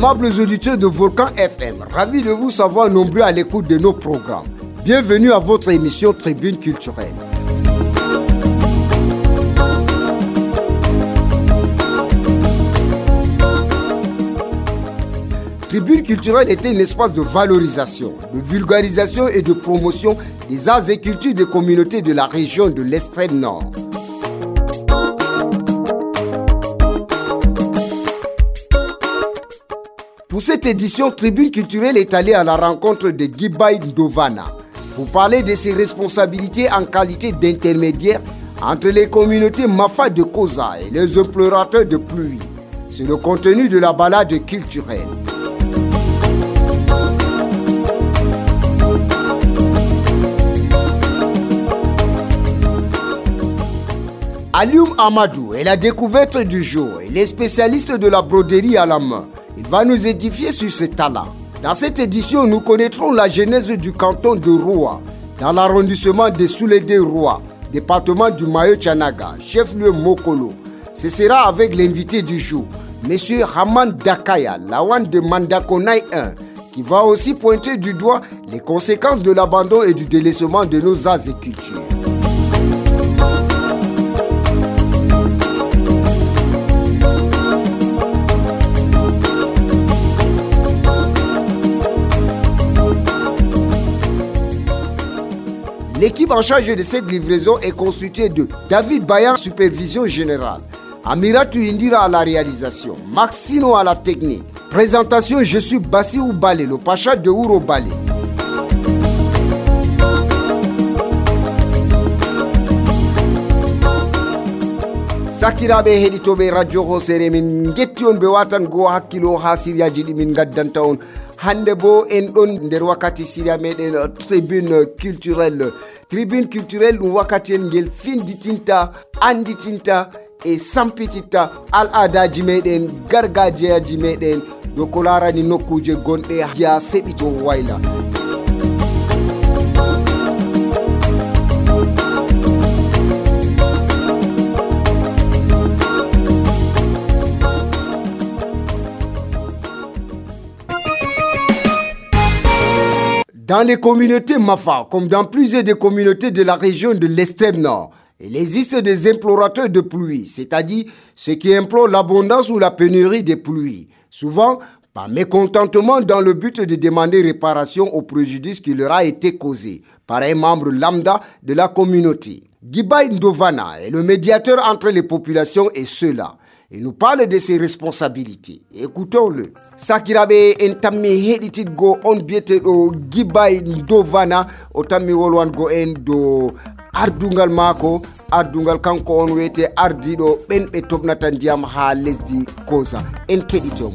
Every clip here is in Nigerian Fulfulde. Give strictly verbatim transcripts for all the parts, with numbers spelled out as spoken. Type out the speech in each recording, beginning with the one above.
Aimables auditeurs de Volcan F M, ravi de vous savoir nombreux à l'écoute de nos programmes. Bienvenue à votre émission Tribune culturelle. Tribune culturelle était un espace de valorisation, de vulgarisation et de promotion des arts et cultures des communautés de la région de l'extrême nord. Pour cette édition, Tribune culturelle est allée à la rencontre de Gibai Ndovana pour parler de ses responsabilités en qualité d'intermédiaire entre les communautés Mafa de Koza et les implorateurs de pluie. C'est le contenu de la balade culturelle. Alioum Amadou est la découverte du jour. Il est spécialiste de la broderie à la main. Il va nous édifier sur ce talent. Dans cette édition, nous connaîtrons la genèse du canton de Roua, dans l'arrondissement de Soulédé-Roua, département du Mayo-Tchanaga, chef-lieu Mokolo. Ce sera avec l'invité du jour, M. Haman Dakaya, Lawan de Mandakonai un, qui va aussi pointer du doigt les conséquences de l'abandon et du délaissement de nos arts et cultures. L'équipe en charge de cette livraison est constituée de David Bayan, supervision générale, Amiratou Indira à la réalisation, Maxino à la technique. Présentation, je suis Bassirou Balé, le pacha de Ouro Balé. Sakirabe heditobe radio hosere min getti on be watan go hakkilo ha siriyaji di min gaddanta on hande bo en don nder wakati siria meden tribune culturelle tribune culturelle dum wakati en gel finditinta anditinta e sampitita al adaji meden gargajiyaji meden do kolarani nokkuje gonde ya sebito wayla. Dans les communautés Mafa, comme dans plusieurs des communautés de la région de l'extrême nord, il existe des implorateurs de pluie, c'est-à-dire ceux qui implorent l'abondance ou la pénurie des pluies, souvent par mécontentement dans le but de demander réparation au préjudice qui leur a été causé par un membre lambda de la communauté. Gibai Ndovana est le médiateur entre les populations et ceux-là. Il nous parle de ses responsabilités. Écoutons-le. Sakirabe en tammi heditit go on biete do Gibai Ndovana o tammi wolwan go en do ardungal mako ardungal kanko on wete ardido ben be tobnata ndiyam ha lesdi Koza en keditom.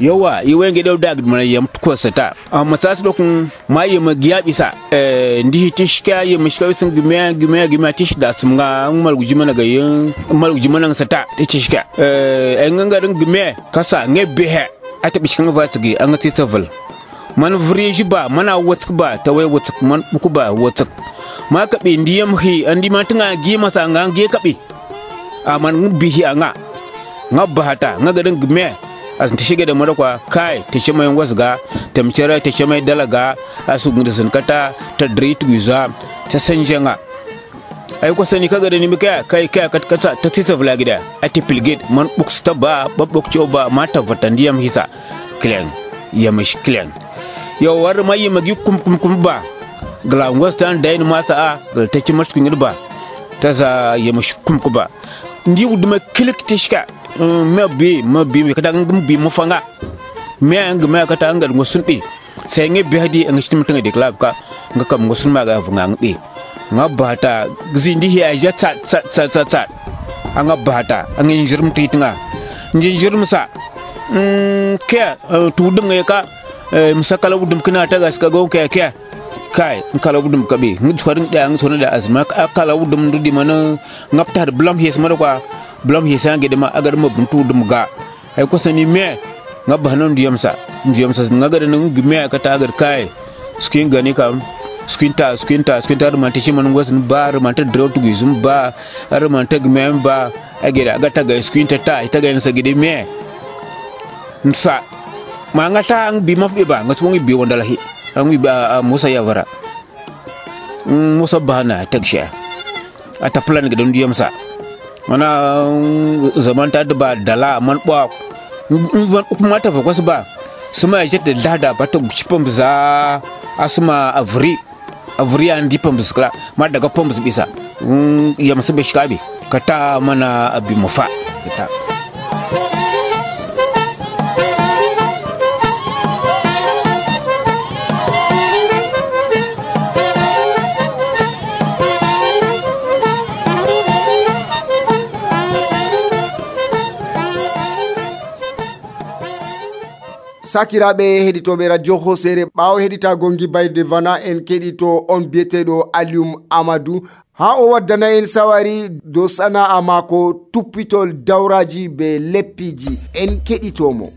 yawa iwenge dew dag mana yam ko sata amma tas dokun maye magiya bisa eh ndi tishka ye mishka sun gime gime gime tish da sumga mal gujima na gayin mal gujima na sata tishka eh nganga dun gime kasa ngebe he ata bishkan va tigi an ti tavel man vriji ba mana watuk ba tawai watuk man buku ba watuk ma ka be ndiyam hi andi ma tanga gi masa ngange kabe aman bihi anga ngabba hata ngaga dun gime as ta shige da marakwa kai ta shi mai wasga ta micira ta shi mai dalaga asu gudu sun kata ta drit guza ta sanjanga ai ko sani kaga da ni mika kai kai kat kasa ta tita vlagida a tipilgate man books ta ba babbok choba mata vatandiyam hisa klen ya mash klen yo war mai magi kum kum kum ba gla western dain masa a gal ta ci mash kun ba ta za ya mash kum kuba ndi wuduma kilik tishka me bi me bi me kada ngum bi mo fanga me ang me kata ngal ngosun bi sai nge bi hadi ang shtim tanga de club ka ngakam ngosun ma ga funga ngbi ngabata gzindi hi aja tat tat tat tat anga bata ang injirm titinga injirm sa mm ke tudum nge ka musakala wudum kina ta gas ka go ke ke kai kala wudum ka bi ngi twarin da ang sona da azma kala wudum ndudi mana ngapta blam hes mara kwa blam hisange de ma agar mo buntu dum ga ay ko sani me ngabba non diyam sa diyam sa ngaga de ngi me ka ta agar kai skin gani kam squinta squinta squinta man tishi man ngwasin ba man ta draw to gizum ba ar man ta gmem ba ageda agata ga squinta ta ita ga nsa gidi me nsa ma ngata ang bi mafbe ba ngatu ngi bi wondala hi ang ba Musa Yavara Musa bana taksha ata plan ga don diyam sa mana zaman ta da ba dala man ba kuma ta fa kwasu ba suma ya jette dada ba ta chipam za asuma avri avri andi pam skla ma daga pam bisa ya masu be shikabe kata mana abi mufa kata sakiraɓe heɗitoɓe radio hosere ɓawo heɗitago gibayde vana en keɗito on biyeteɗo Alium Amadou ha o waddana en sawari do sana'a mako tuppitol dawraji be leppiji en keɗitomo.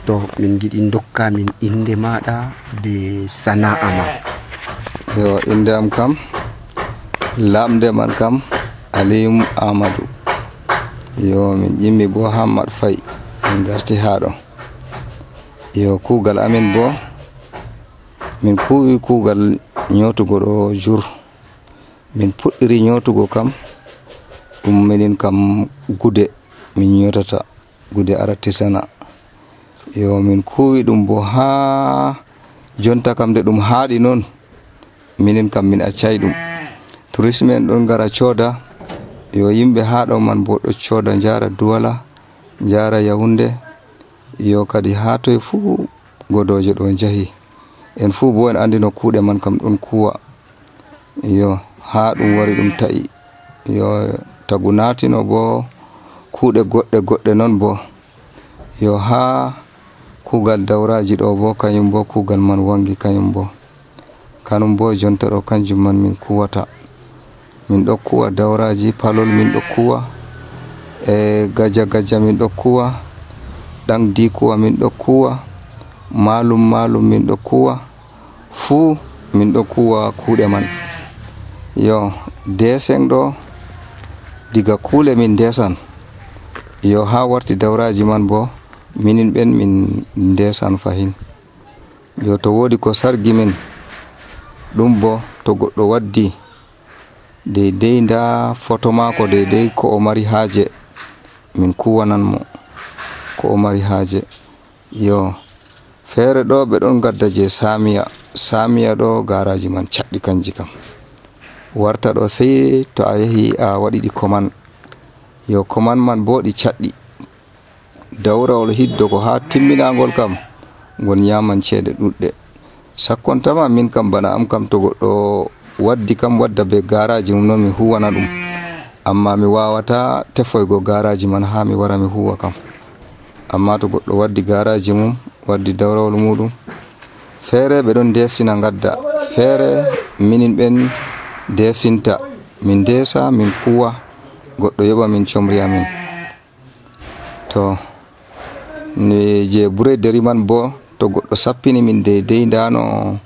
to min giɗi dokka min inde maɗa be sana'a ma. Yo inde am kam lamde man kam Alium Amadou. Yo min yimmi bo Hammad Faye min garti haɗo. Yo kugal amin bo min kuwi kugal nyotugo ɗo jour. Min puɗɗiri nyotugo kam ɗum minin kam gude min nyotata gude aratisana. Yo min kuwi ɗum bo ha jonta kam de ɗum haɗi non minin kam min accay ɗum. Tourisme en ɗon gara coda yo yimɓe haɗo man bo ɗo coda jara Douala jara Yaoundé yo kadi ha toye fuu godoje ɗo jahi en fuu bo en andi no kuuɗe man kam ɗon kuwa yo ha ɗum wari ɗum ta'i yo tagu natino bo kuuɗe goɗɗe goɗɗe non bo yo ha kugal dawraji ɗo bo kanyum bo kugal man wangi kanyum bo kanum bo jonta ɗo kanjum man min kuwata min ɗo kuwa dawraji palol min ɗo kuwa e gaja gaja min ɗo kuwa ɗan di kuwa min ɗo kuwa malum malum min ɗo kuwa fuu min ɗo kuwa kuuɗe man yo desen ɗo diga kuule min desan yo ha warti dawraji man bo minin ɓen min ndesan fahin yo to wodi ko sargi min ɗum bo to goɗɗo waddi deydey nda photo mako deydey ko o mari haaje min kuwanan mo ko o mari haaje yo feere ɗo ɓe ɗon gadda je samiya samiya ɗo garaji man caɗɗi kanji kam warta ɗo sey to a yahi a waɗi ɗi koman yo koman man bo ɗi caɗɗi dawrawol hiddo ko ha timminagol kam gon yaman ceede ɗuɗɗe sakkontama min kam bana am kam to goɗɗo waddi kam wadda be garaji mum noon mi huwana ɗum amma mi wawata tefoygo garaji man ha mi wara mi huwa kam amma to goɗɗo waddi garaji mum waddi dawrawol muɗum feere ɓe ɗon desina gadda feere minin ɓen desinta min desa min kuwa goɗɗo yoɓa min comri amin to ni je broderi man bo to goɗɗo sappini min deydey ndano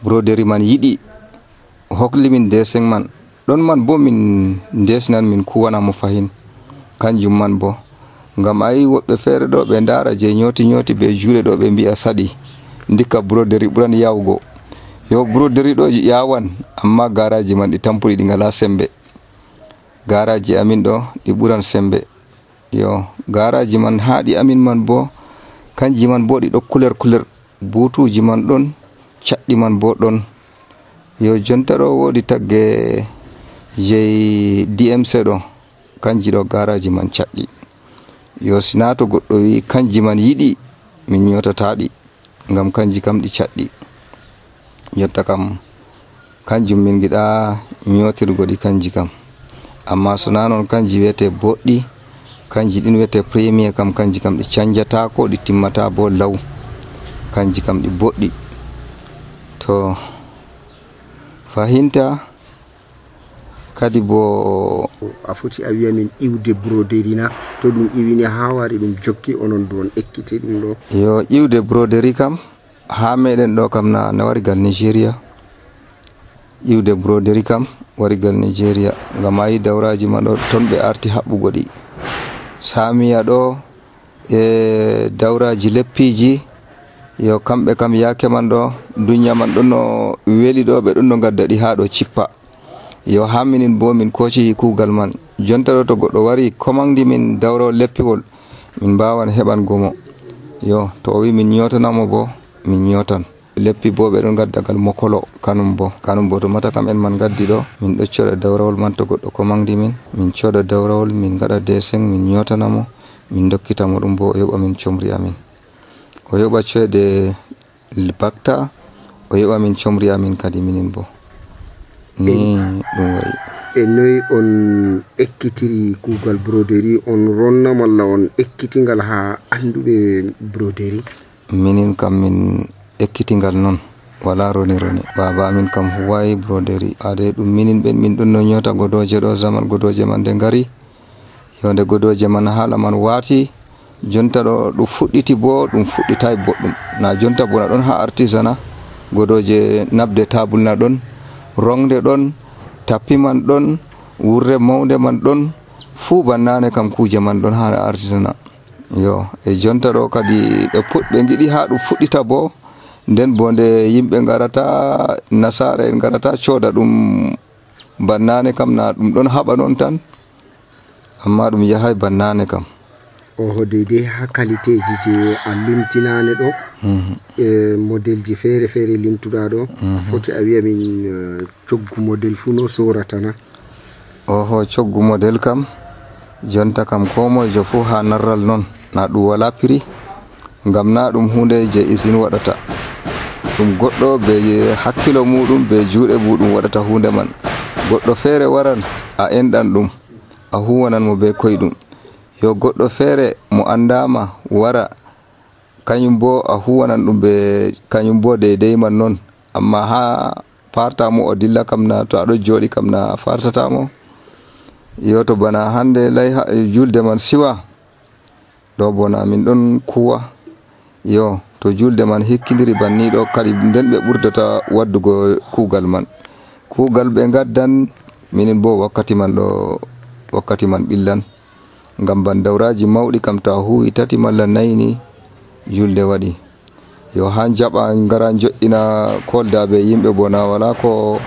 broderi man yiɗi hokli min desen man ɗon man bo min ndesinan min kuwana mo fahin kanjum man bo ngam ayi woɓɓe feere ɗo ɓe ndara je nyoti nyoti be juuɗe ɗo ɓe mbi'a saɗi ndikka broderi ɓuran yawugo yo broderi ɗo yawan amma garaji man ɗi tampuri ɗi ngala sembe garaji amin ɗo ɗi ɓuran sembe yo garaji man haɗi amin man bo kanji man bo ɗi ɗo kuler kuler butuji man ɗon caɗɗi man bo ɗon yo jonta ɗo wodi tagge je D M C ɗo kanji ɗo garaji man caɗɗi yo sina to goɗɗo wi kanji man yiɗi min nyotataɗi ngam kanji kam ɗi caɗɗi yotta kam kanjum min giɗa nyotirgo ɗi kanji kam amma sona non kanji wiyete boɗɗi kanji ɗin wiyete premier kam kanji kam ɗi canjata ko ɗi timmata bo law, kanji kam ɗi boɗɗi. To fahinta kadi bo a foti a wiya min iwde broderi na to ɗum iwini ha wari ɗum jokki onon don ekkite ɗum ɗo? Yo iwde broderi kam ha meɗen ɗo kam na na warigal Nigeria. Iwde broderi kam warigal Nigeria ngam ayi dawraji man ɗo ton ɓe arti haɓɓugo ɗi. Samiya ɗo e dawraji leppiji yo kamɓe kam yake man ɗo dunya man ɗon no weli ɗo ɓe ɗon no gadda ɗi ha ɗo cippa. Yo ha minin bo min koci kugal man jonta ɗo to goɗɗo wari komandi min dawro leppiwol min mbawan heɓan gomo. Yo to o wi min nyotanamo bo min nyotan. Leppi bo ɓe ɗon gadda gal mokolo kanum bo kanum bo to mata kam en man gaddi ɗo min ɗo coda dawrawol man to goɗɗo komandi min min coda dawrawol min gaɗa deseng min nyotanamo min dokkitamo ɗum bo o yoɓa min comri amin, o yoɓa coyde bakta, o yoɓa min comri amin kadi minin bo ni ɗum wayi. E noy on ekkitiri kugal broderi, on ronna malla on ekkitingal ha anduɓe broderi? Minin kam min ekkitingal non wala roni roni, baba amin kam huwayi broderi ade ɗum minin ɓen min ɗon no nyota godoje ɗo zaman godoje man de ngari yonde godoje man hala man wati jonta ɗo ɗum fuɗɗiti bo ɗum fuɗɗitay boɗɗum na jonta bona ɗon ha artisana godoje nabde tabul na ɗon, rongde ɗon, tapi man ɗon, wurre mawnde man ɗon, fuu bannane kam kuje man ɗon ha artisana. Yo e jonta ɗo kadi ɓe puɗɓe giɗi ha ɗum fuɗɗita bo nden bo nde yimɓe garata nasara en garata coda ɗum bannane kam na ɗum ɗon haɓa non tan amma ɗum yahay bannane kam. Oho deidai ha qualité ji je a limtinane ɗo e model ji fere fere limtuɗa ɗo foti a wiya min coggu model fu no sorata na? Oho coggu model kam jonta kam ko mojo fu ha narral non na ɗum wala piri ngam na ɗum hunde je isin waɗata ɗum goɗɗo be hakkilo muɗum be juuɗe muɗum waɗata hunde man. Goɗɗo fere waran a enɗan ɗum a huwanan mo be koyɗum, yo goɗɗo fere mo andama wara kañum bo a huwanan ɗum be kañum bo deidai man non amma ha fartamo o dilla kam na to aɗo joɗi kam na fartatamo. Yo to bana hande lay julde man siwa ɗo bona min ɗon kuwa, yo to julde man hikkidiri banni ɗo kadi nden ɓe ɓurdata waddugo kugal man, kugal ɓe gaddan minin bo wakkati man ɗo wakkati man ɓillan ngam ban dawraji mawɗi kam to a huwi tati malla nayni julde waɗi. Yo ha jaɓa ngara joɗɗina koldaɓe yimɓe bona wala ko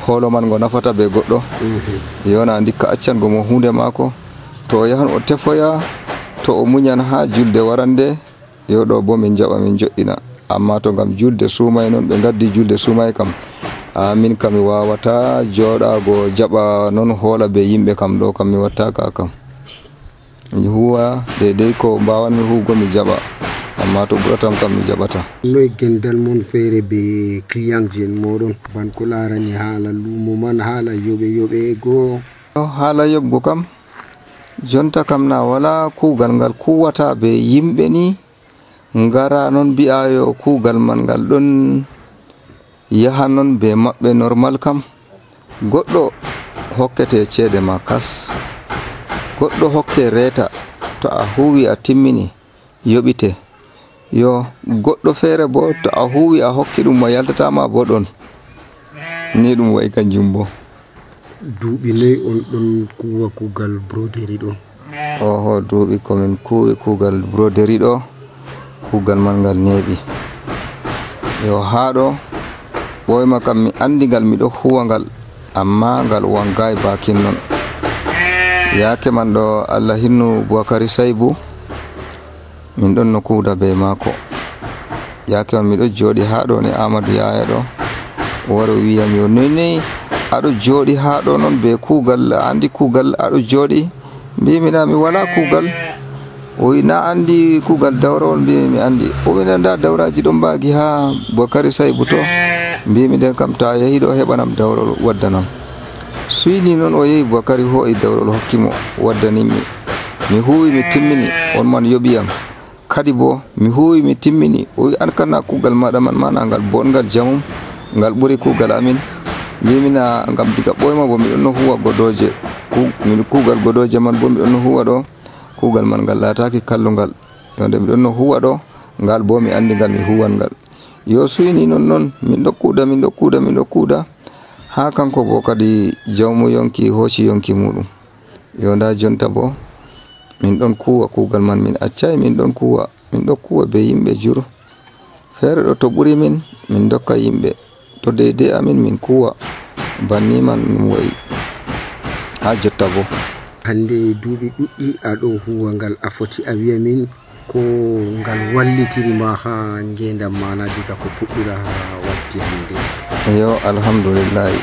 holo man go nafata be goɗɗo. Yo na ndikka accango mo hunde mako to o yahan o tefoya to o muñan ha julde warande yo ɗo bo min jaɓa min joɗɗina amma to ngam julde sumay non ɓe gaddi julde sumay kam amin kam mi wawata joɗago jaɓa non hola be yimɓe kam ɗo kam mi watta ka kam mi huwa deidai ko mbawanmi hugo mi jaɓa amma to ɓuratam kam mi jaɓata. Noy gendal mon feere be client ji en moɗon ban ko larani haala lumo man haala yoɓe yoɓe go? Haala yoɓgo kam jonta kam na wala kugal ngal kuwata be yimɓe ni ngara non mbi'a yo kugal man ngal ɗon yaha non be maɓɓe normal kam goɗɗo hokkete ceede ma kas, goɗɗo hokke reta to a huwi a timmini yoɓite, yo goɗɗo feere bo to a huwi a hokki ɗum mo yaltatama bo ɗon ni ɗum wayi kanjum bo. Duuɓi noy on ɗon kuwa kugal broderi ɗo? Oho duuɓi komin kuwi kugal broderi ɗo kugal man ngal neeɓi, yo ha ɗo ɓoyma kam mi andi ngal miɗo huwa ngal amma ngal wangayi bakin non. Yake man ɗo Allah hinnu Boukary Saibou min ɗon no kuuda be mako, yake man miɗo joɗi ha ɗo ne Amadou Yaya ɗo o wari o wiyam yo noy aɗo joɗi ha ɗo non be kugal andi kugal aɗo joɗi? Mbimina mi wala kugal. O wi na andi kugal dawrawol? Mbimi mi andi. O wi nda dawraji ɗon mbagi ha Boukary Saibou to? Mbimi nden kam ta yahi ɗo heɓanam dawrol waddanam. Suyni noon o yehi Boukary ho'i dawrol hokkimo waddanimi mi huwi mi timmini, on man yoɓiyam. Kadi bo mi huwi mi timmini, o wi an kana kuugal maɗa man mana ngal bongal jamum, ngal ɓuri kuugal amin. Mbimina ngam diga ɓoyma bo miɗon no huwa godoje, min kuugal godoje man bo miɗon no huwa ɗo, kuugal man ngal laataki kallungal. Yonde miɗon no huwa ɗo, ngal bo mi andi ngal mi huwan ngal. Yo suyni non non min ɗo kuuda min ɗo kuuda min ɗo kuuda ha kanko bo kadi jawmu yonki hoci yonki muɗum. Yo nda jonta bo min ɗon kuwa kuugal man, min accai min ɗon kuwa min ɗo kuwa be yimɓe jur. Feere ɗo to ɓuri min min dokka yimɓe, to deydey amin min kuwa banni man ɗum wayi ha jotta bo. Hande duuɓi ɗuɗɗi aɗo huwa ngal, a foti a wiya min ko ngal wallitirima ha ngendam mana diga ko puɗɗira ha watti hande? Yo alhamdulillahi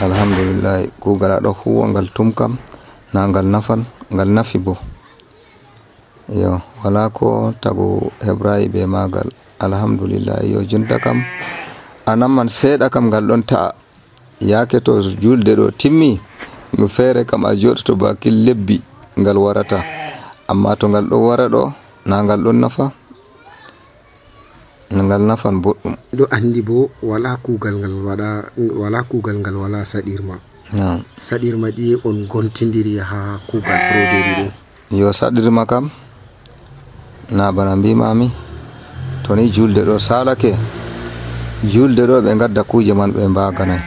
alhamdulillahi kuugal aɗo huwa ngal tum kam na ngal nafan, ngal nafi bo. Yo wala ko tagu hebrayi be magal, alhamdulillahi. Yo jonta kam anamman seeɗa kam ngal ɗon ta'a, yaake to julde ɗo timmi no feere kam a joɗoto bakin lebbi ngal warata, amma to ngal ɗo wara ɗo na ngal ɗon nafa, ngal nafan boɗɗum. ɗo andi bo wala kuugal ngal waɗa, wala kuugal ngal wala saɗirma. Yeah. Saɗirma ɗi on gontindiri ha kuugal broderi ɗo? Yo saɗirma kam na bana mbimami, to ni julde ɗo salake, julde ɗo ɓe gadda kuje man ɓe mbaganay.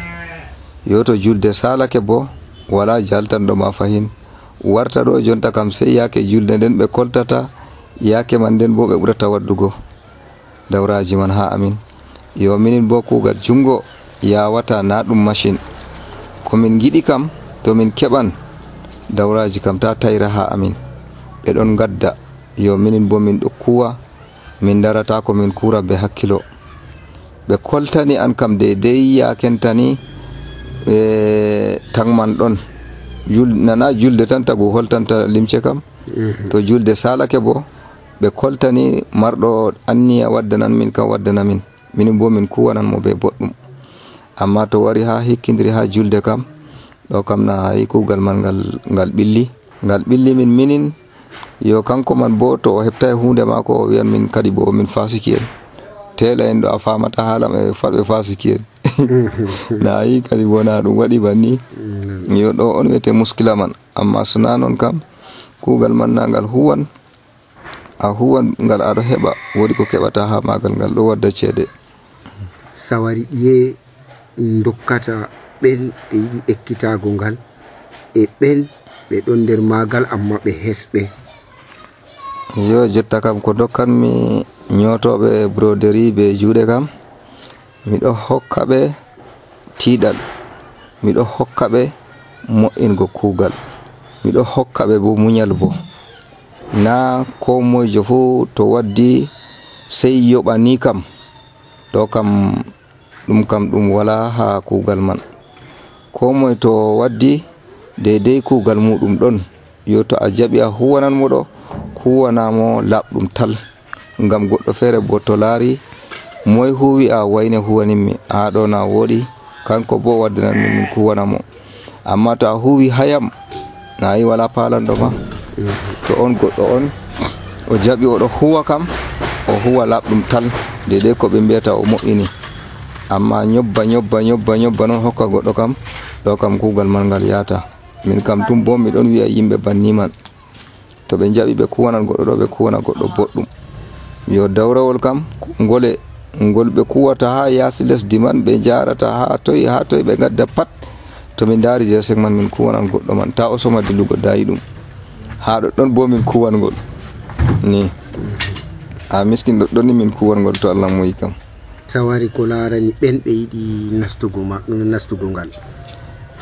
Yo to julde salake bo wala jaltanɗo ma fahin, warta ɗo jonta kam sey yake julde nden ɓe koltata, yake man nden bo ɓe ɓurata waddugo dawraji man ha amin. Yo minin bo kuugal jungo yawata na ɗum machine, komin giɗi kam to min keɓan dawraji kam ta tayra ha amin, ɓe ɗon gadda. Yo minin bo min ɗo kuwa, min darata ko min kura be hakkilo. Ɓe koltani an kam deydey yakentani e tangman ɗon, nana julde tan tagu holtanta limce kam. To julde salake bo ɓe koltani marɗo anniya waddanan min kam waddana min, minin bo min kuwanan mo be boɗɗum. Amma to wari ha hikkidiri ha julde kam ɗo kam na hayi kuugal man ngal ngal ɓilli ngal ɓilli min minin. Yo kanko man bo to o heɓtai hunde mako o wiyan min kadi bo min fasiki en, tela en ɗo a famata haala ɓe faɓe fasiki en. Na yi kadi bo na ɗum waɗi banni. Yo ɗo on wiyete muskila man, amma sona non kam kuugal man na ngal huwan, a huwan ngal aɗo heɓa, woɗi ko keɓata ha magal, ngal ɗo wadda ceede. Sawari ɗiye dokkata ɓen ɓe yiɗi ekkitago ngal e ɓen ɓe ɗon nder magal amma ɓe hesɓe? Yo jotta kam ko dokkanmi nyotoɓe broderi be juuɗe kam, miɗo hokka ɓe tiiɗal, miɗo hokka ɓe mo'ingo kuugal, miɗo hokka ɓe bo muñal bo. Na ko moyjo fu to waddi sey yoɓa ni kam, ɗo kam ɗum kam ɗum wala ha kuugal man. Ko moy to waddi deydey kuugal muɗum ɗon. Yo to a jaɓi a huwanan mo ɗo, huwanamo laɓɗum tal, ngam goɗɗo feere bo to laari moy huwi a wayne huwaninmi, ha ɗo na woɗi, kanko bo waddanan min min kuwanamo. Amma to a huwi hayam na yi wala palanɗo ma. To on goɗɗo on o jaɓi oɗo huwa kam, o huwa laɓɗum tal deydey ko ɓe mbiyata o mo'ini. Amma nyobba nyobba nyobba nyobba non hokka goɗɗo kam, ɗo kam kuugal man ngal yata. Min kam tum bo miɗon wiya yimɓe banni man, to ɓe jaɓi ɓe kuwanan goɗɗo ɗo ɓe kuwana goɗɗo boɗɗum. Yo dawrawol kam ngole ngol ɓe kuwata ha yaasi lesdi man, ɓe jarata ha toy ha toy ɓe gadda pat, to min dari desek man min kuwanan goɗɗo man, ta o soma dillugo dayi ɗum ha ɗoɗɗon bo min kuwangol ni, a miskin ɗoɗɗon ni min kuwangol to Allah moyi kam. Sawari ko larani ɓen ɓe yiɗi nastugo ma nastugo ngal?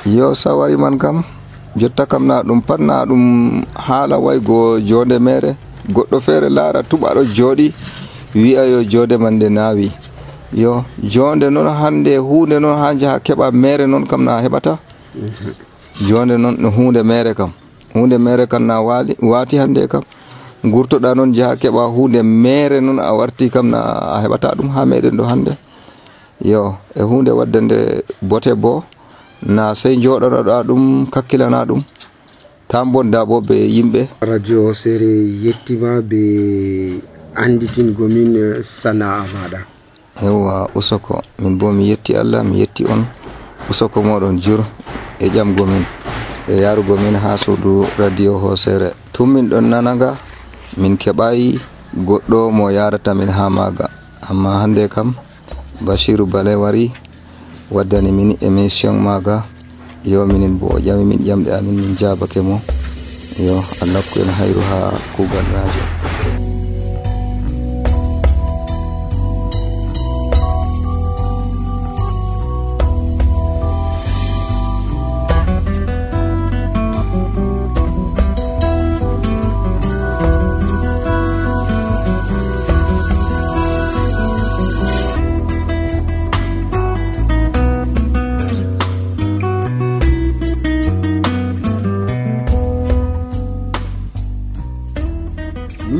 Yo sawari man kam jotta kam na ɗum pat na ɗum haala waygo jonde mere, goɗɗo feere laara tuɓaɗo jooɗi wi'a yo jonde man nde naawi. Yo jonde non hande hunde non ha jaha keɓa mere non kam na heɓata. Jonde non no hunde mere kam, hunde mere kam na wali wati hande kam, gurtoɗa non jaha keɓa hunde mere non a warti kam na a heɓata ɗum ha meɗen ɗo hande. Yo e hunde waddande bote bo na sey joɗoɗa ɗum kakkilana ɗum, tambonda bo be yimbe radio Hosere yettima be anditin gomin sana'a mada. Ewa usoko min bo mi yetti Allah mi yetti on usoko modon jur e jam gomin e yaru gomin ha suudu radio Hosere tummin don nanaga min kebai goddo mo yarata min ha maga amma hande kam Bashiru Bale wari waddani min emission maga yo minin bo jami min jamde amin min jabake mo yo Allah ko en hayru ha kugal radio.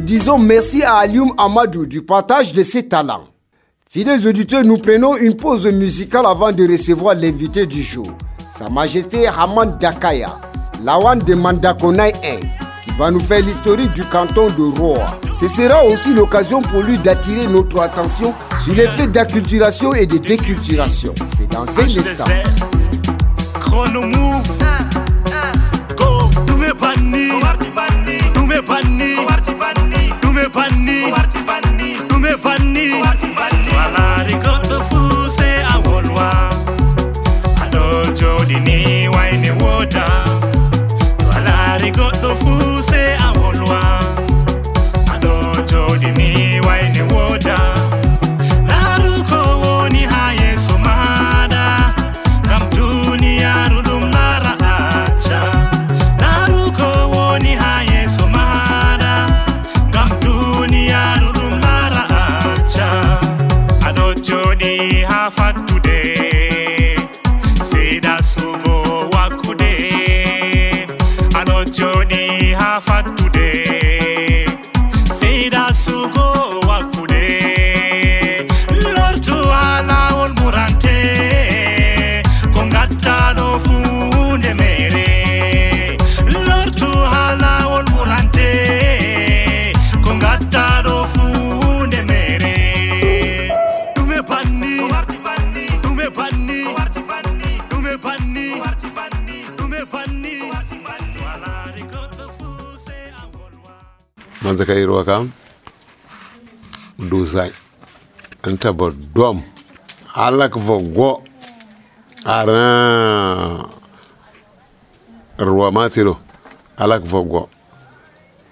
Disons merci à Alioum Amadou du partage de ses talents. Fidèles auditeurs, nous prenons une pause musicale avant de recevoir l'invité du jour, Sa Majesté Haman Dakaya, Lawan de Mandakonai un, qui va nous faire l'historique du canton de Roa. Ce sera aussi l'occasion pour lui d'attirer notre attention sur les faits d'acculturation et de déculturation. C'est dans un instant. Chronomove, go, do me banni, do me banni, do me banni, do me banni. Wala rigodo fuse awolwa, ado jodi ni waini woda. Wala rigodo fuse awolwa, ado jodi ni waini woda. Naruko woni haye somada, kam dunia rudum lara acha. Naruko woni haye somada, kam dunia rudum lara acha. Ado jodi ha fatude, seda sugo wakude. Ado jodi ha fatude, seda sugo wakude. Lortu ala wol murante, kongata no funde mere. Lortu ala wol murante, kongata no funde mere. Dume panni, dume panni, dume panni, dume panni. Wala rigodo fuse awolwa. Manzaka irwa kam duzai anta bodom alak vogo ara ruwa matiro alak vogo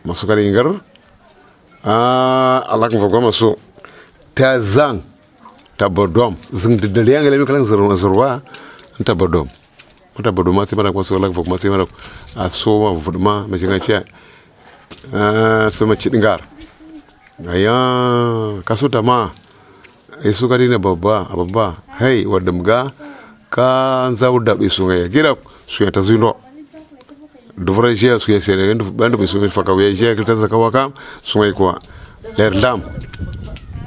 masukari ingar ah alak vogo masu tazang tabodom zing de lianga lemi kalang zurwa zurwa anta bodom anta bodom mati mara ko so alak vogo mati mara aso vudma majinga cha ah sama chidingar aya kasuta ma isu kadi ne babba babba hey wadamga ka zawda bisu ngaya gira su ya tazuno dovra je su ya sere ndu bandu bisu faka we je ka tazaka waka su ngai ko ler lam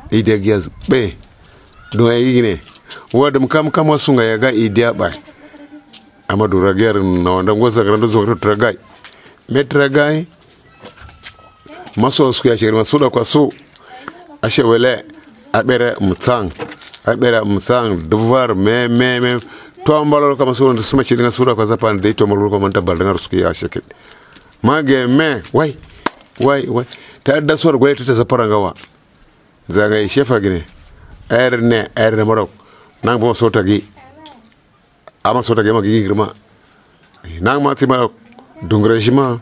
ide giaz be do ay gine wadam kam kam su ngaya ga ide ba amadu rager na wanda ngoza grando zo tragai metragai maso su ya shiri maso da kwaso ashe wele abere mutang abere mutang duvar me me me to ambalo kama so ndo sima chilinga sura kwa zapan de to ambalo kama tabal ngar su ya sheke mage me wai wai wai ta da sor goye ta zapara ngawa zaga shefa gine erne erne morok nang bo so tagi ama so tagi ma gi girma nang ma ti marok dungrejima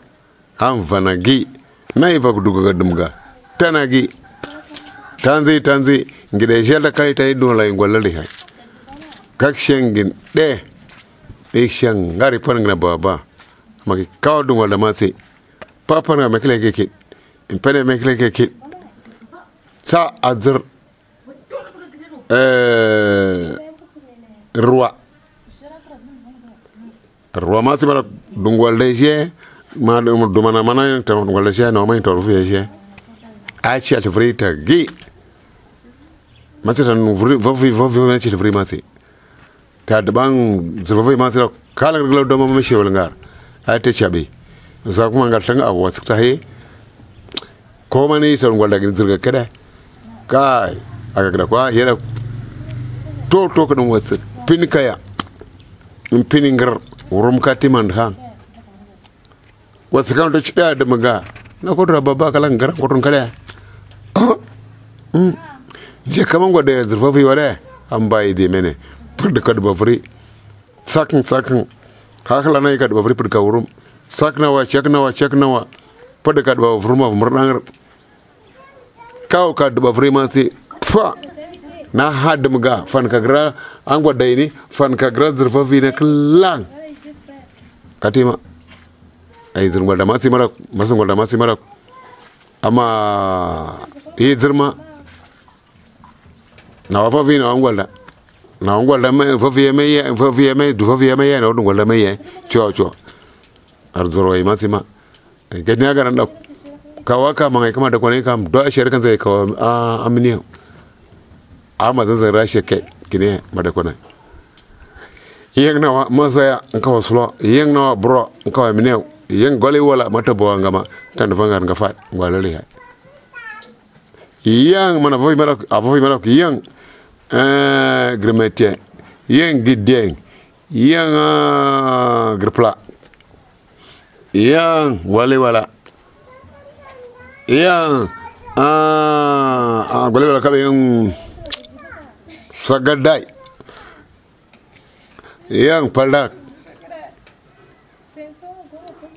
am vanagi na iva kuduga dumga tanagi tanzi tanzi ngide jela kai tai do la ngolali hay kak shengin de e sheng ngari panga baba magi kawdu wala mate papa na mekle keke impene mekle keke sa azr eh roi roi mate bara dungwal deje ma do mana mana ta ngol je no ma to ru je a ci al frita gi matata no vri vovi vovi ma ci fri mati ta de bang zvovi mati kala nglo do ma me shewal ngar a te chabe za kuma ngal tanga abu wasu ta he ko mani ta ngwalda gin zirga kada kai aga kada kwa yera to to kadon wasu pin kaya in pin ngar wurum katiman han wasu kan da cida da maga na kodra baba kala ngar kodon kada je kaman gwada zurfa fi wala an bayi de mene furda kad bafri sakin sakin hakala nay kad bafri furda wurum sakna wa chekna wa chekna wa furda kad bafri ma murdan kaw kad bafri ma ti fa na had mga fan kagra an gwada ni fan kagra zurfa fi ne klang katima ay zurma da masi mara masan gwada masi mara ama yi zurma na wafa vi na wangwala na wangwala me fa vi me ye fa vi me du fa vi me ye na du ngwala me ye cho cho arzoro ai masima ke nya garan da kawaka mangai kama da kone kam do asher kan zai kawa a amni amma zan zan rashe ke kine mada kone yeng na masaya kawa slo yeng na bro kawa mine yeng gole wala mata bo ngama tan fangar nga fat ngwala li yang mana voi mana avoi mana yang eh gremete yang gideng yang uh, grepla yang wale wala yang ah uh, wale wala kabe yang sagadai yang paldak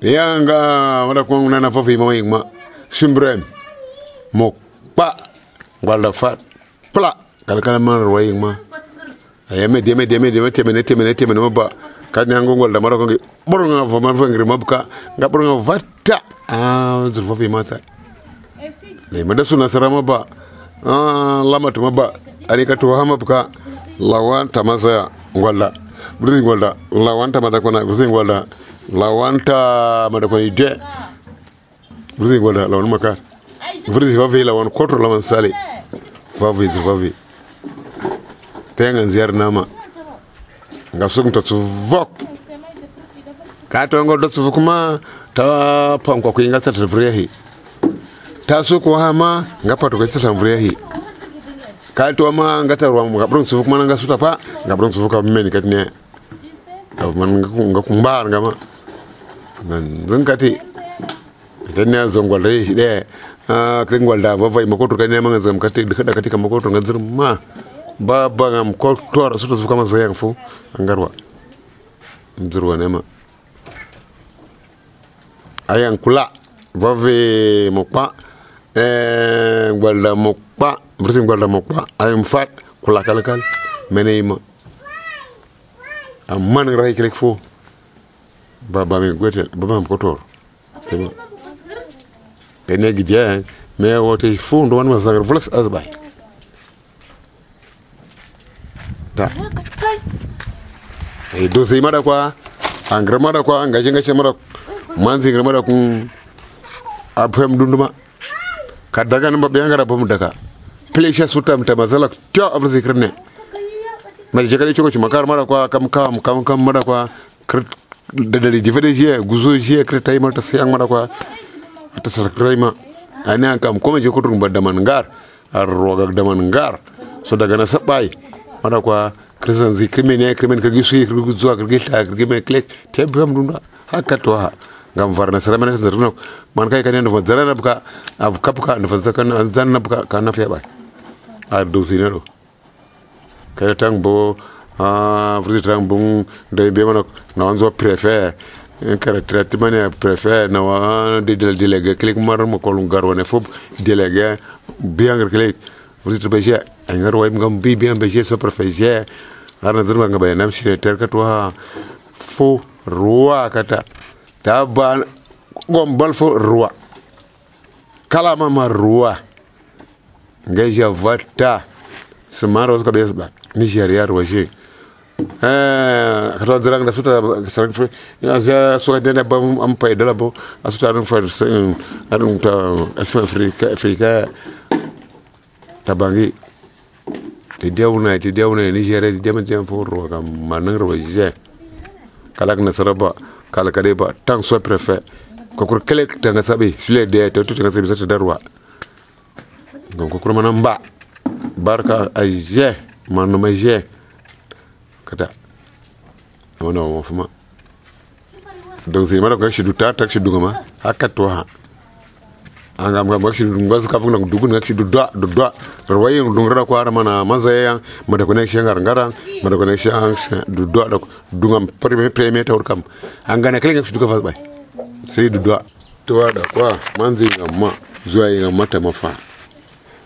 yang uh, mana ko nana fofi mo ma simbrem mok pa wala fat pla kala kala man roying ma ayame deme deme deme temene temene temene ba kan yango ngol da maro ko ngi boronga fo man fo ngri mabka nga boronga vatta ah zurfa fi mata le mada suna sarama ba ah lamatu maba ari ka to hama buka lawan tamasa ngolla burzi ngolda lawan tamada kona burzi ngolda lawan ta mada ko ide burzi ngolda lawan maka burzi va vela wan kotro lawan sale va vi va vi tengan ziar nama ngasung to vok ka to ngol do su kuma ta pam ko inga ta vrehi ta su ko hama ngapa to ko ta vrehi ka to ma ngata ruwa ngabrun su kuma nga su ta fa ngabrun su ka men kat ne man nga kumbar ngama man zankati idan ne zongol re shi de ah kan gwalda ba vai makoto kan ne man zam kati da kati kan makoto nganzur ma ba ba ngam ko tor su to kama zayan fu angarwa nzurwa ne ma ayan kula vave mokpa eh gwalda mokpa bursin gwalda mokpa ayam fat kula kalkal meneyma amman ray kelek fo baba mi gotel baba am ko tor tema ene gidja me wote fu ndo wan ma zagar flas azbay ta e do sey mada kwa angra mada kwa ngaje ngaje mada manzi ngra mada kun apem dunduma kadaga namba be ngara bom daga plesha sutam ta mazala tyo afro zikrne mal jekali choko ci makar mada kwa kam kam kam kam mada kwa dadali difede je guzo je kretay mata sayang mada kwa ta sarkrayma ana kam ko je ko tun badaman ngar ar roga daman ngar so daga na sabay mada kwa krisan zi krimene krimen ka gisu yi guzo ka gita ka gime klek te bam dunda haka to ha gam varna saramane zerno man kay kanen do zarana buka av kapka no fa kan zanna buka kana fe ba a do sinero kay tang bo ah vriti tang bung de be manok na wanzo préfère un caractère mane préfère na wa de délégué klik mar mo ko lu garone fop délégué bien klik vriti be je ay ngar way ngam bi bien be je so préfère arna zurma ngaba nam shire terka to ha fo ruwa kata taba gombal fo ruwa kala mama ruwa ngeja vata smaro ko besba nigeria roje eh kata zirang da suta sarang fo ya za so de ba am pay dala bo asuta ran fa arun ta asfa afrika afrika tabangi te dewna te dewna nigeria de dem tem fo ruwa kam manan roje kalak na saraba kala kade ba tang so préfet kokor kele tanga sabe sule de to to tanga sabe sata darwa ngam kokor manan ba barka aje manu maje kata wana wa fuma donc c'est mara ko shi duta tak shi dugama hakka to ha angam ngam shi ngaz ka funa dugun ngak shi dudda dudda rawaye dungra ko ara mana mazaya mada connection ngar ngara mada connection dudda dok dungam premier premier tawr kam angana kele ngak shi duga fa bay sai dudda to wada kwa manzi ngamma zuwa yin mata mafa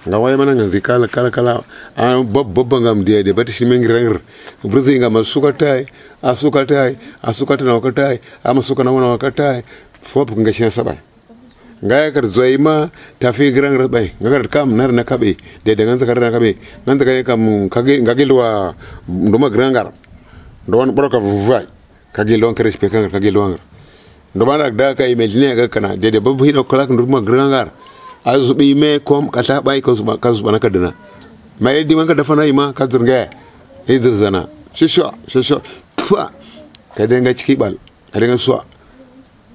nga waye mana nganzi kala kala kala a bob bob ngam de de bati shimen ngir bruzi ngam suka tay asuka tay asuka tan wakatay am suka na wana wakatay fop nga shen sabay nga kar zoima tafi grang rabay nga kar kam nar na kabe de de nganza kar na kabe nganza kay kam kage ngagilwa nduma grangar don broka vuvay kage lon kare spekan kage lon nduma nak da kay imagine ga kana de de babu hino kolak nduma grangar azubi me kom kata bay ko suba kazuba nakadana may di man ka dafa nay ma ka zurga hidir zana shisho shisho twa ka denga ciki bal ka denga suwa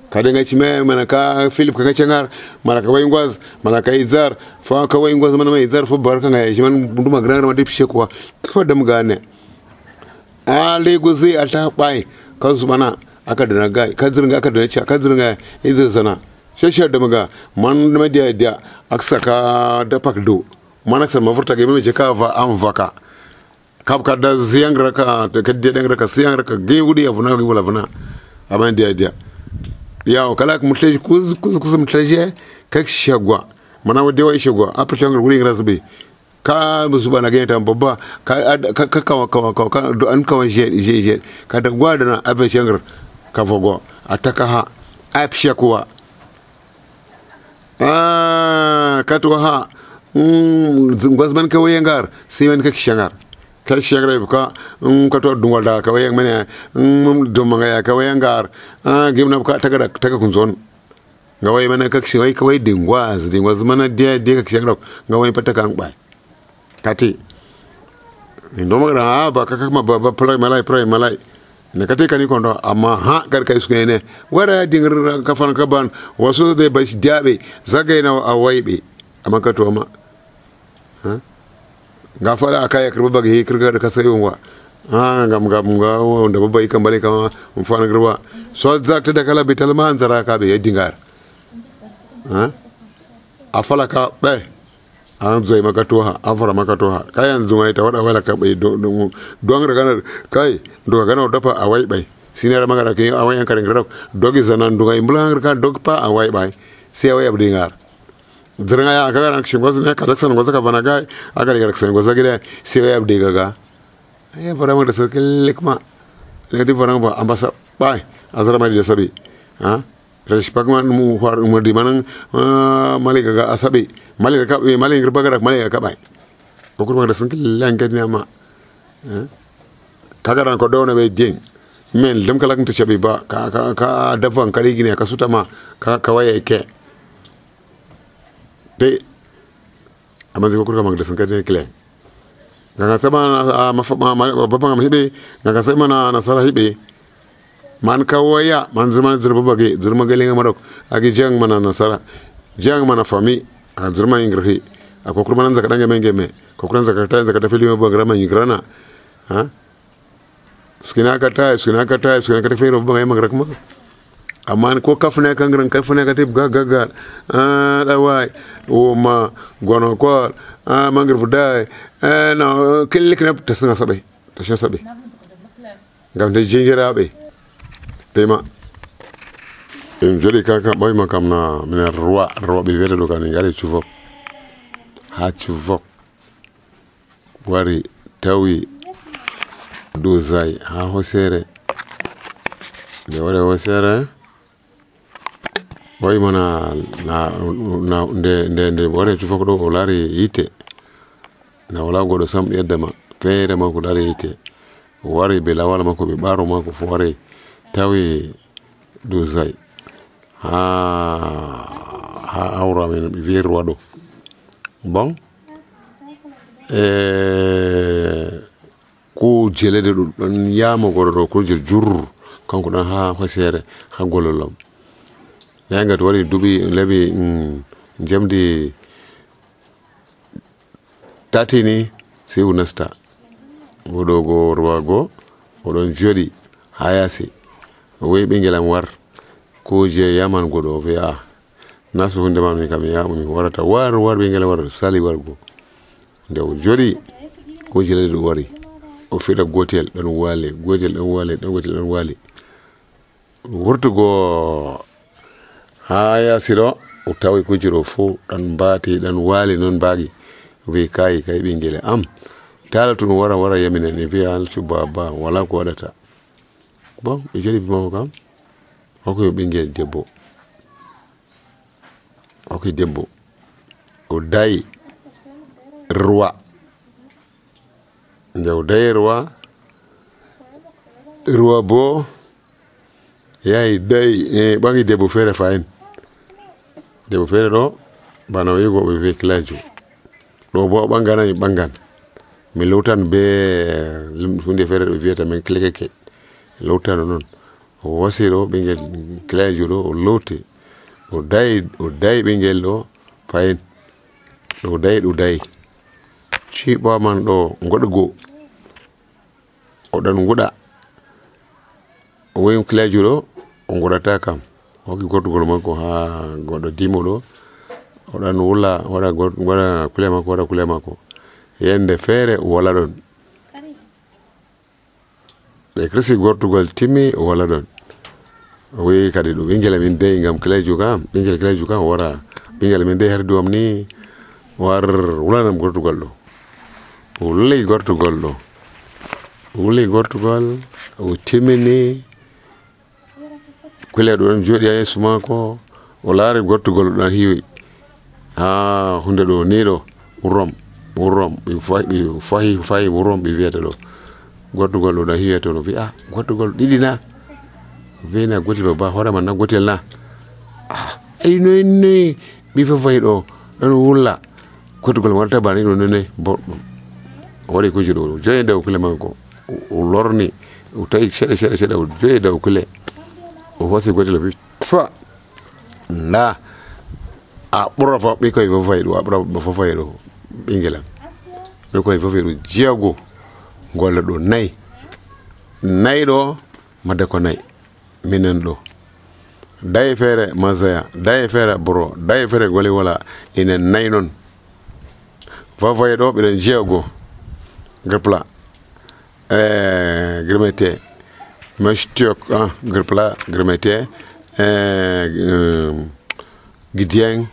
ka denga ci me mana ka philip ka cengar mana ka way ngwaz mana ka izar fa ka way ngwaz mana may izar fo barka nga yi man nduma grand ma dip shekwa fo dam gane a legozi ata bay ka zubana aka dana ga ka zurga aka dana ci ka zurga hidir zana shashar da maga man da media da aksaka da pakdo manaksa mafurta ga mai jeka va an vaka kap ka da ziyangra ka da kadde dan raka ziyangra ka ge wudi afuna ga wala funa aban dia dia ya o kala mutlaji kuz kuz kuz mutlaji kak shagwa mana wade wai shagwa apa changar wuri ngrasbe ka musuba na genta babba ka ka ka ka ka an ka je je je ka da gwada na abe changar ka fogo ataka ha ap shakwa ah katwa ha mm ngwazman ka wayangar siman ka kishangar ka kishangar ka um kato dungwal da ka wayang mene um do manga ya ka wayangar ah gimna ka taga taga kunzon nga way mene ka kishay ka way dingwaz dingwaz mana dia dia ka kishangar nga way pataka ang bay kati ndo magra ba ka ka ma ba play malai play malai ne kate kani kondo amma ha kar kai su ne wara dingar kafan kaban wasu da bashi diabe zagai na awaibe amma ka to ma ha ga fara akaya kirba bagi kirga ka sai wa ha ngam ngam ga wanda babba ikan bale kama mun fana girba so zakta da kala bital man zara ka be dingar ha afala ka be an zai maka toha afara maka toha kayan zuma ita wada wala ka bai don don raga kai do ga na dafa awai bai sinara magara ke awai an karin garau dogi zanan do ga imbulan ka dog pa awai bai sai awai abdi ngar zirga ya ka ran shin gozu ne ka daksan gozu ka bana gai aka riga daksan gozu gida sai awai abdi gaga ai fara da sarkin likma ne di fara ba ambasa bai azara mai da sabi ha respect man mu war mu di manan malika ga asabe malika ka malika bagara malika ka bai ko kurma da sun killan ga ne ma kaga ran ko dona be ding men lam kala kun shabi ba ka ka ka dafan kare gine ka suta ma ka ka waye ke de amma zai ko kurma da sun kaje kile ga sama ma babban ma hibe ga sama na nasara hibe man kawaya man zurma zurba bage zurma galinga marok agi jang mana nasara jang mana fami a zurma ingri a kokuru manan zaka danga menge me kokuru zaka ta zaka ta filimi ba grama ingrana ha skina ka ta skina ka ta skina ka ta fero ba mai magrak ma amma ko kafuna kan gran kafuna ka tib gaga ga ah dawai o ma gono ko ah mangir fudai eh no kellik na tasna sabai tasha sabai gam de jinjira be tema in joli kaka boy makam na mina roi roi be vere do kan yare chuvo ha chuvo wari tawi do zai ha hosere de wore hosere boy mana na na de de de wore chuvo do olari ite na wala godo sam yedama fere ma ko lari ite wari be lawala mako be baro mako fo wari tawi dozai ha ha aura men vir wado bon eh ko jelede don yama goro ko jel jur kanko dan ha fasere ha gololom yanga to wari dubi lebi mm, jamdi tati ni sai o nasta oɗo go rowago oɗon joɗi ha yasi o wi ɓingel am war ko je yaman goɗo o wi a nasu hunde ma mi kam mi yamu mi warata war war ɓingel war sali wargo nde o joɗi ko je ladi ɗo wari o fiɗa gotel ɗon wali gotel ɗon wali ɗon gotel ɗon wali wurtugo ha yasi ɗo o tawi kuje ɗo fo ɗan mbati ɗan wali non mbagi wi kai kai ɓingel am tala to wara wara yamina ne wi alcu baba wala ko waɗata bon ɓe joɗi bimako kam hokkoy ɓingel debbo hokkoy debbo o dayi ruwa nde o dayi ruwa ruwa bo yahi dayi e ɓangi debbo feere fayin debbo feere ɗo bana wigo ɓe wi kilajo ɗo bo o ɓanganami ɓangan mi lowtan be hunde feere ɗo wiyata min klekeke lowtano noon o wasi ɗo ɓingel kilajo ɗo o lowti o dayi o dayi ɓingel ɗo fayin ɗo dayi ɗo dayi ciɓa man ɗo goɗgo oɗon guɗa o woyi kilajo ɗo o guɗata kam hokki gortugol makko ha goɗɗo dimo ɗo oɗon wula waɗa waɗa kule makko waɗa kule makko yende feere o wala ɗon ɓe kirsi gortugol timmi o wala ɗon o wi kadi ɗo ɓingel min deyi ngam kilajo kam ɓingel kilajo kam o wara ɓingel min deyi har duwam ni war wulanam gortugol ɗo o wuli gortugol ɗo o wuli gortugol o timmini kule ɗo ɗon joɗi ha yeeso makko o laari gortugol ɗon hiwi ha hunde ɗo ni ɗo rom rom ɓe fahi fahi rom ɓe wiyata ɗo gortugol ɗo ɗon hiwi to no wi a gortugol ɗiɗi na wina gotel baba hoorema na gotel na ay noy noy ɓi fafayi ɗo ɗon wulla gortugol warta bani ɗo none boɗɗum o waɗi kuje ɗo joyi daw kule makko o lorni o tawi seeɗa seeɗa seeɗa o joyi daw kule o hosi gotel wi fa nda a ɓura fa ɓikkoye fafayi ɗo a ɓura fafayi ɗo ɓingelam ɓikkoye fafayi ɗo jeego golle ɗo nayyi nayyi ɗo madde ko nayyi minen ɗo daye feere masaya daye feere boro daye feere gole wala inen nayyi noon fafayi ɗo ɓeɗen jeego grepla e gremete mestiok ah grepla gremete e gidieng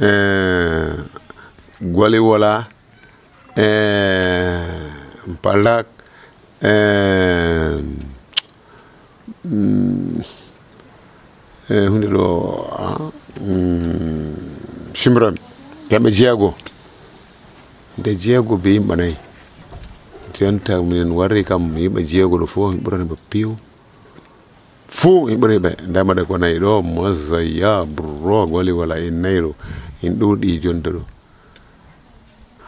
e gole wala e palak e hunde ɗo simran kamɓe jeego nde jeego be yimɓe nayyi jonta minen warri kam yimɓe jeego ɗo fof ɓuraniɓe piw fuu ɓuriɓe ndemaɗe ko nayyi ɗo mosaya bro goli wala en nayyi ɗo en ɗuuɗi jonta ɗo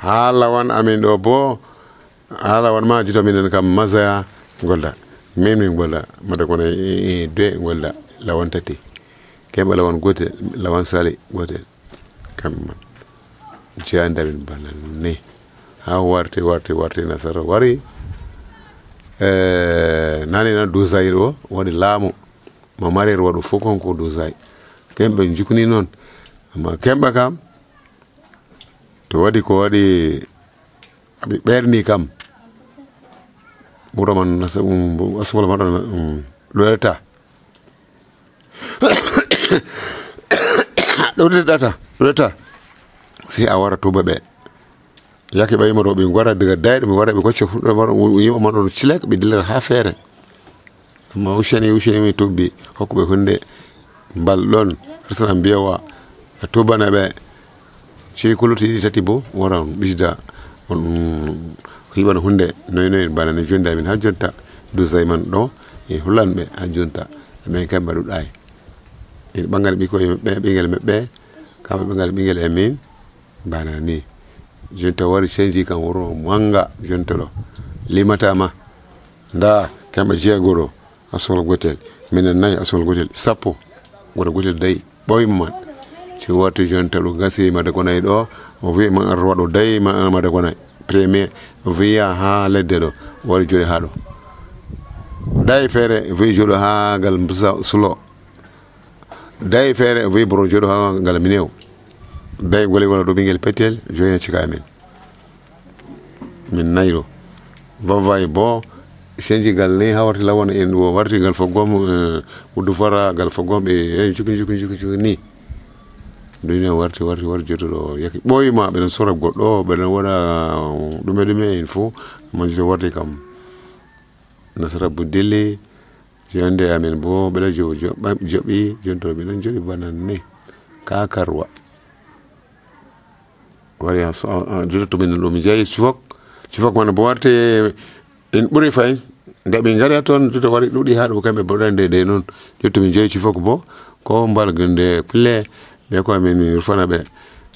ha lawan amin ɗo bo ha lawan ma juta minen kam masaya golda min min golda made ko nayyi de golda lawan tati kemɓe lawan gotel lawan sali gotel kamɓe man jeyandamin bana ni ha warte warte warte nasara wari e nani na dosay ɗo waɗi laamu ma marer waɗo fof konko dosay kemɓe jukni noon amma kemɓe kam to waɗi ko waɗi aɓe ɓerni kam ɓura man asmol maɗo ɗoɗata ɗoɗeɗata ɗoɗata si a wara tuba ɓe yake ɓayima ɗo ɓe gara daga dayɗo ɓe wara ɓe gocce yimɓe man ɗon cilek ɓe dillata ha feere amma useni useni mi tubbi hokkuɓe hunde mbal ɗon resana mbiyawa a tubana ɓe si kuluti ɗiɗi tati bo wara ɓisda on hiɓan hunde noyi noyi bana ne jonde amin ha jonta dosay man ɗo e hullanɓe ha jonta ɓen kamɓe ɗuɗɗay ene ɓangal ɓikkoye maɓɓe ɓingel maɓɓe kamɓe ɓangal ɓingel e min bana ni jonta wari changi kam wuro manga jonta ɗo limatama nda kamɓe jeego ɗo asol gotel minen nayyi asol gotel sappo goto gotel dayi ɓoyma man so warti jonta ɗo gasi mada konayi ɗo o wi ma ar waɗo dayi mada konayi premier o wiya ha ledde ɗo wari joɗi ha ɗo dayi feere wi joɗo ha ngal sulo dayi feere wi boro joɗo ha ngal minew dayi gole wona ɗo ɓinguel petel joyi cika men min nayi ɗo vavayi bo senji gal ni ha warti lawon en wo warti gal fogom wuddu fara gal fogom ɓe e juki juki juki juki ni duniya warti warti warti jotoɗo yaki ɓoyma ɓeɗen sora goɗɗo ɓeɗen waɗa ɗume ɗume en fo amma joto warti kam nasara bu dille jonde amen bo ɓeɗa jo joɓi jonto ɓeɗen joɗi bana ne ka karwa wari joto to ɓen ɗo mi jeeyi sufok sufok man bo warte en ɓuri fay nde ɓe gari toon joto wari ɗuɗi ha ɗo kamɓe boɗande de noon jotto mi jeeyi sufok bo ko mbalgde pille ɓe ko min rufana ɓe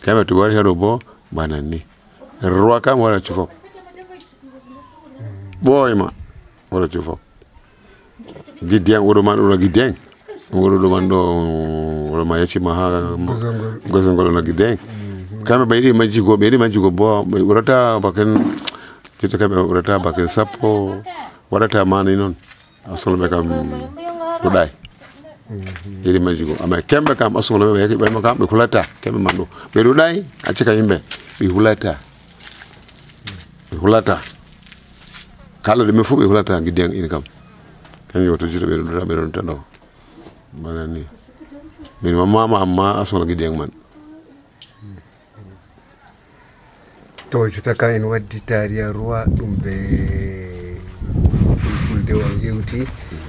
kamɓe to wari haɗo bo banan ni roi kam waɗa cufok ɓoyma waɗa cufok giddiyang oɗo man ɗo giddiyang oɗo ɗo man ɗo oɗo ma yeccima ha gosongol ono giddiyang kamɓe ɓe yiɗi majjigo ɓe yiɗi majjigo bo ɓe ɓurata baken jotta kamɓe ɓurata baken sappo waɗata mani noon asolɓe kam ɗuɗay yiɗi majjigo amma kemɓe kam asugol ɓe yaki ɓayma kam ɓe hulata kemɓe man ɗo ɓe ɗuɗay accika yimɓe ɓe hulata ɓe hulata kala ɗume fof ɓe hulata giddiyang in kam kañum woto juuɗo ɓe ɗuɗata ɓe ɗon tan ɗo bana ni min mamama amma asugol giddiyang man to jota ka en waddi tariya ruwa ɗum ɓe fulfulde on yewti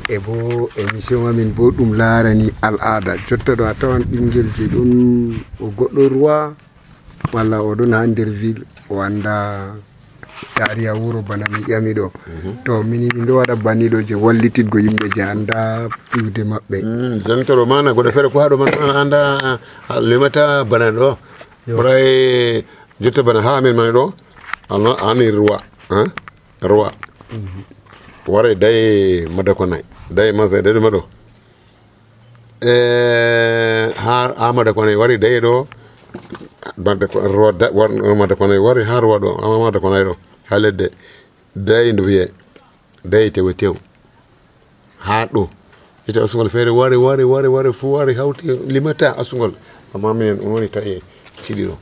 e bo émission amin bo ɗum laarani al'ada jotta ɗo a tawan ɓinguel je ɗon o goɗɗo ruwa walla oɗon ha nder ville o anda tariya wuro bana mi ƴami ɗo to mini min ɗo waɗa banniɗo je wallititgo yimɓe je anda piwde maɓɓe jantoro mana goɗo feere ko haɗo man anda limata bana ɗo ɓuray jotta bana ha amin mani ɗo ani ruwa ruwa wara daye madako nayi daye masa daye ɗuma ɗo e ha ha madako nayi wari daye ɗo madako nayi wari ha ruwa ɗo ama madako nayi ɗo ha ledde daye nde wiye daye tewe tew ha ɗo ita asugol feere wari wari wari wari fu wari hawti limata asugol amma minen ɗum woni tawi siɗi ɗo.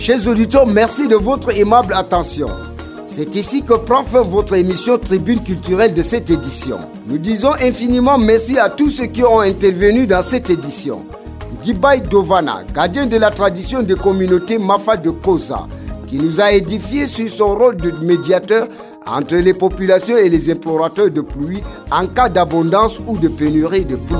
Chers auditeurs, merci de votre aimable attention. C'est ici que prend fin votre émission Tribune culturelle de cette édition. Nous disons infiniment merci à tous ceux qui ont intervenu dans cette édition. Gibai Dovana, gardien de la tradition des communautés Mafa de Koza, qui nous a édifié sur son rôle de médiateur entre les populations et les implorateurs de pluie en cas d'abondance ou de pénurie de pluie.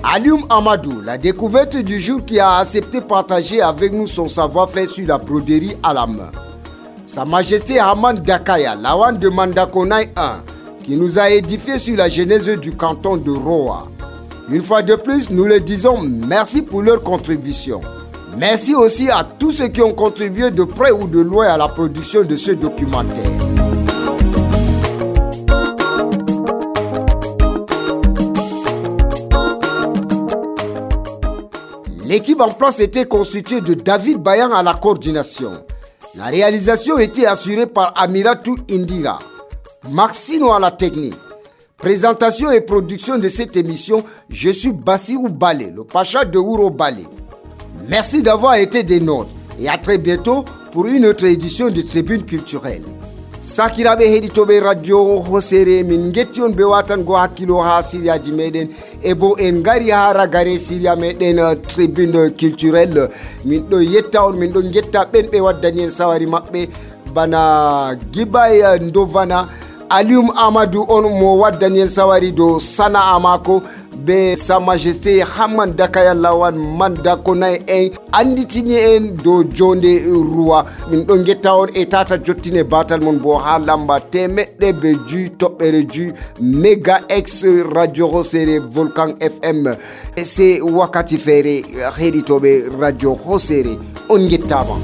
Alioum Amadou, la découverte du jour qui a accepté de partager avec nous son savoir-faire sur la broderie à la main. Sa Majesté Haman Dakaya, Lawan de Mandakonaï un, qui nous a édifié sur la genèse du canton de Roa. Une fois de plus, nous leur disons merci pour leur contribution. Merci aussi à tous ceux qui ont contribué de près ou de loin à la production de ce documentaire. L'équipe en place était constituée de David Bayan à la coordination. La réalisation était assurée par Amiratou Indira, Maxino à la technique. Présentation et production de cette émission, je suis Bassirou Balé, le Pacha de Ouro Balé. Merci d'avoir été des nôtres et à très bientôt pour une autre édition de Tribune culturelle. Sakirabe heditobe radio hosere min gettion be watan go hakilo ha Syria di meden e bo en gari ha ragare Syria meden Tribune culturelle min do yetta on min do getta ben be waddani en sawari mabbe bana Gibay Ndovana. Alium Amadou on mo waddani sawari do sana'a mako be Sa Majesté Hamman Dakaya Lawan man dakonay en anditini en do jonde ruwa. Min ɗon getta on e tata jottine batal mon bo ha lamba temeɗɗe be ju toɓɓere ju Mega X Radio Hosere Volcan F M. Se wakati fere heɗitoɓe Radio Hosere on gettama.